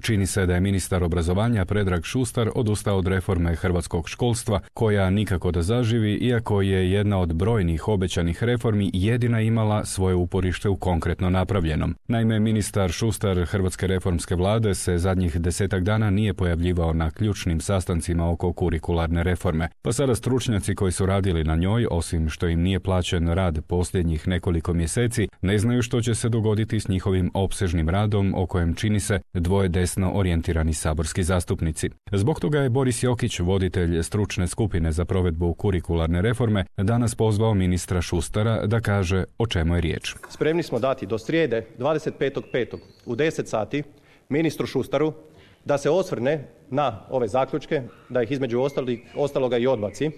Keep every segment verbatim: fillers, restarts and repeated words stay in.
Čini se da je ministar obrazovanja Predrag Šustar odustao od reforme hrvatskog školstva, koja nikako da zaživi, iako je jedna od brojnih obećanih reformi jedina imala svoje uporište u konkretno napravljenom. Naime, ministar Šustar Hrvatske reformske vlade se zadnjih desetak dana nije pojavljivao na ključnim sastancima oko kurikularne reforme, pa sada stručnjaci koji su radili na njoj, osim što im nije plaćen rad posljednjih nekoliko mjeseci, ne znaju što će se dogoditi s njihovim opsežnim radom o kojem, čini se, dvoje desno orijentirani saborski zastupnici. Zbog toga je Boris Jokić, voditelj stručne skupine za provedbu kurikularne reforme, danas pozvao ministra Šustara da kaže o čemu je riječ. Spremni smo dati do srijede dvadeset petog petog u deset sati ministru Šustaru da se osvrne na ove zaključke, da ih između ostali, ostaloga i odbaci.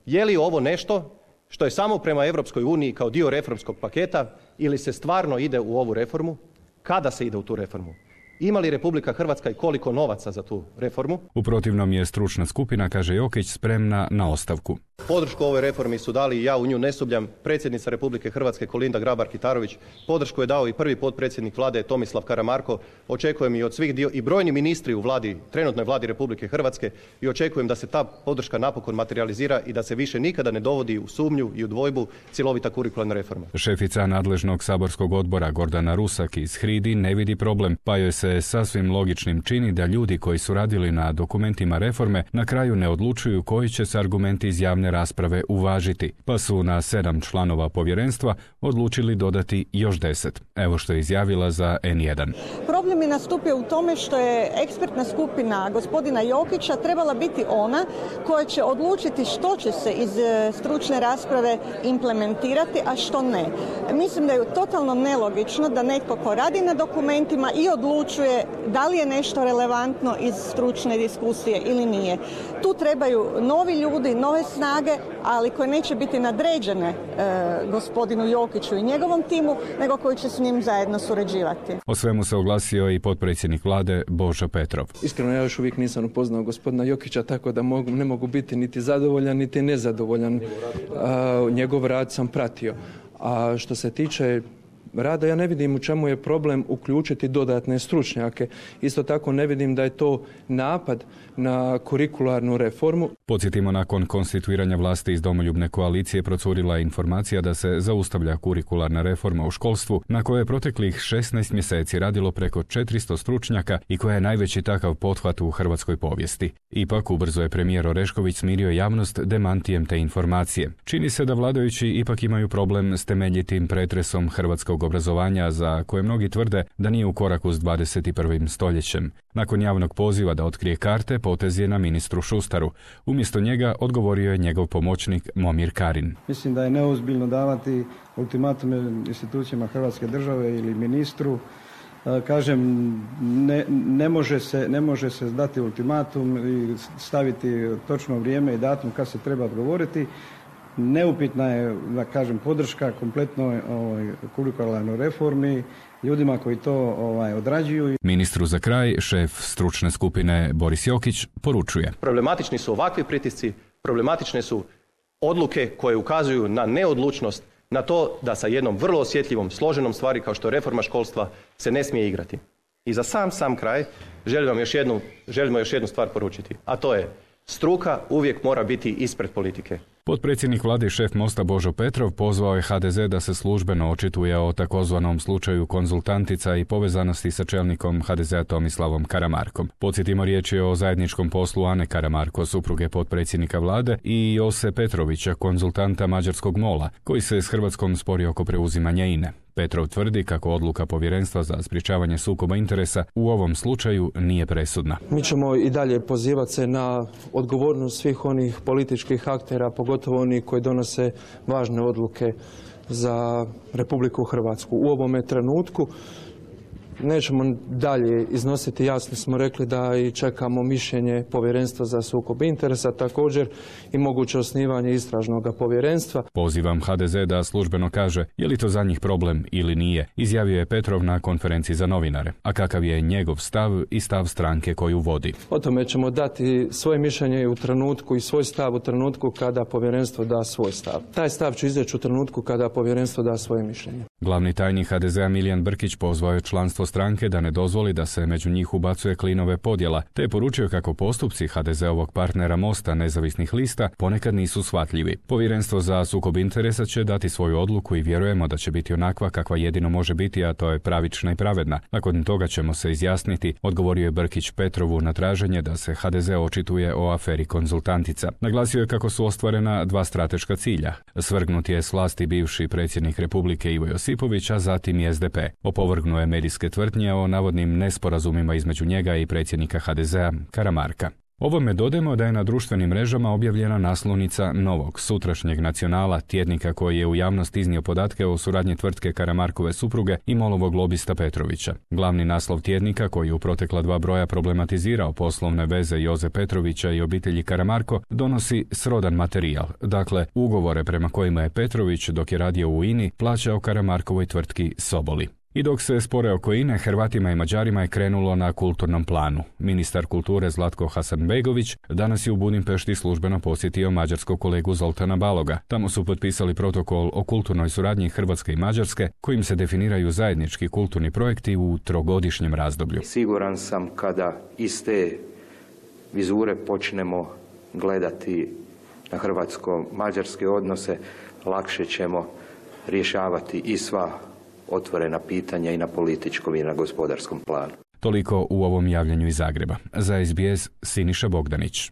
Je li ovo nešto što je samo prema Europskoj uniji kao dio reformskog paketa ili se stvarno ide u ovu reformu? Kada se ide u tu reformu? Ima li Republika Hrvatska i koliko novaca za tu reformu? U protivnom je stručna skupina, kaže Jokić, spremna na ostavku. Podršku ovoj reformi su dali, i ja u nju ne sumnjam, predsjednica Republike Hrvatske Kolinda Grabar-Kitarović. Podršku je dao i prvi potpredsjednik vlade Tomislav Karamarko. Očekujem i od svih dio i brojni ministri u vladi, trenutnoj vladi Republike Hrvatske, i očekujem da se ta podrška napokon materializira i da se više nikada ne dovodi u sumnju i u dvojbu cjelovita kurikularna reforma. Šefica nadležnog saborskog odbora Gordana Rusak iz Hridi ne vidi problem, pa joj se sasvim logičnim čini da ljudi koji su radili na dokumentima reforme na kraju ne odlučuju koji će se argumenti iz javne rasprave uvažiti, pa su na sedam članova povjerenstva odlučili dodati još deset. Evo što je izjavila za en jedan. Problem je nastupio u tome što je ekspertna skupina gospodina Jokića trebala biti ona koja će odlučiti što će se iz stručne rasprave implementirati, a što ne. Mislim da je totalno nelogično da netko ko radi na dokumentima i odlučuje da li je nešto relevantno iz stručne diskusije ili nije. Tu trebaju novi ljudi, nove snage, ali koje neće biti nadređene e, gospodinu Jokiću i njegovom timu, nego koji će s njim zajedno surađivati. O svemu se oglasio i potpredsjednik vlade Božo Petrov. Iskreno, ja još uvijek nisam upoznao gospodina Jokića, tako da mogu, ne mogu biti niti zadovoljan, niti nezadovoljan. A, njegov rad sam pratio. A što se tiče rada, ja ne vidim u čemu je problem uključiti dodatne stručnjake. Isto tako ne vidim da je to napad na kurikularnu reformu. Podsjetimo, nakon konstituiranja vlasti iz Domoljubne koalicije procurila je informacija da se zaustavlja kurikularna reforma u školstvu, na kojoj je proteklih šesnaest mjeseci radilo preko četiristo stručnjaka i koja je najveći takav pothvat u hrvatskoj povijesti. Ipak, ubrzo je premijer Orešković smirio javnost demantijem te informacije. Čini se da vladajući ipak imaju problem s temeljitim pretresom hrvatskog obrazovanja, za koje mnogi tvrde da nije u koraku s dvadeset prvim stoljećem. Nakon javnog poziva da otkrije karte, potez je na ministru Šustaru. Umjesto njega odgovorio je njegov pomoćnik Momir Karin. Mislim da je neozbiljno davati ultimatume institucijama Hrvatske države ili ministru. Kažem, ne, ne, može se, ne može se dati ultimatum i staviti točno vrijeme i datum kad se treba odgovoriti. Neupitna je, da kažem, podrška kompletnoj ovaj, kurikularnoj reformi, ljudima koji to ovaj, odrađuju. Ministru za kraj, šef stručne skupine Boris Jokić poručuje. Problematični su ovakvi pritisci, problematične su odluke koje ukazuju na neodlučnost, na to da sa jednom vrlo osjetljivom, složenom stvari kao što je reforma školstva se ne smije igrati. I za sam, sam kraj želim vam još jednu, želimo još jednu stvar poručiti, a to je: struka uvijek mora biti ispred politike. Potpredsjednik vlade i šef Mosta Božo Petrov pozvao je ha de ze da se službeno očituje o takozvanom slučaju konzultantica i povezanosti sa čelnikom ha de zea Tomislavom Karamarkom. Podsjetimo, riječ je o zajedničkom poslu Ane Karamarko, supruge potpredsjednika vlade, i Jose Petrovića, konzultanta mađarskog mola, koji se s Hrvatskom spori oko preuzimanja I N E. Petrov tvrdi kako odluka Povjerenstva za sprječavanje sukoba interesa u ovom slučaju nije presudna. Mi ćemo i dalje pozivati se na odgovornost svih onih političkih aktera, pogotovo oni koji donose važne odluke za Republiku Hrvatsku. U ovome trenutku nećemo dalje iznositi, jasno smo rekli da i čekamo mišljenje Povjerenstva za sukob interesa, također i moguće osnivanje istražnog povjerenstva. Pozivam ha de ze da službeno kaže je li to za njih problem ili nije, izjavio je Petrov na konferenciji za novinare. A kakav je njegov stav i stav stranke koju vodi? O tome ćemo dati svoje mišljenje u trenutku i svoj stav u trenutku kada Povjerenstvo da svoj stav. Taj stav ću izreći u trenutku kada Povjerenstvo da svoje mišljenje. Glavni tajnik ha de zea Milijan Brkić pozvao je članstvo rukovodstvo stranke da ne dozvoli da se među njih ubacuje klinove podjela, te je poručio kako postupci ha de zeovog partnera Mosta nezavisnih lista ponekad nisu shvatljivi. Povjerenstvo za sukob interesa će dati svoju odluku i vjerujemo da će biti onakva kakva jedino može biti, a to je pravična i pravedna. Nakon toga ćemo se izjasniti, odgovorio je Brkić Petrovu na traženje da se ha de ze očituje o aferi Konzultantica. Naglasio je kako su ostvarena dva strateška cilja. Svrgnut je s vlasti bivši predsjednik Republike Ivo Josipović, a zatim i es de pe. Opovrgnuo je medijske tvrdnje o navodnim nesporazumima između njega i predsjednika ha de zea Karamarka. Ovome dodajemo da je na društvenim mrežama objavljena naslovnica novog, sutrašnjeg Nacionala, tjednika koji je u javnost iznio podatke o suradnji tvrtke Karamarkove supruge i Molovog lobista Petrovića. Glavni naslov tjednika, koji u protekla dva broja problematizirao poslovne veze Joze Petrovića i obitelji Karamarko, donosi srodan materijal, dakle ugovore prema kojima je Petrović, dok je radio u I N I, plaćao Karamarkovoj tvrtki Soboli. I dok se spore oko I N E, Hrvatima i Mađarima je krenulo na kulturnom planu. Ministar kulture Zlatko Hasanbegović danas je u Budimpešti službeno posjetio mađarskog kolegu Zoltana Baloga. Tamo su potpisali protokol o kulturnoj suradnji Hrvatske i Mađarske, kojim se definiraju zajednički kulturni projekti u trogodišnjem razdoblju. Siguran sam kada iz te vizure počnemo gledati na hrvatsko-mađarske odnose, lakše ćemo rješavati i sva otvorena pitanja i na političkom i na gospodarskom planu. Toliko u ovom javljanju iz Zagreba. Za es be es Siniša Bogdanić.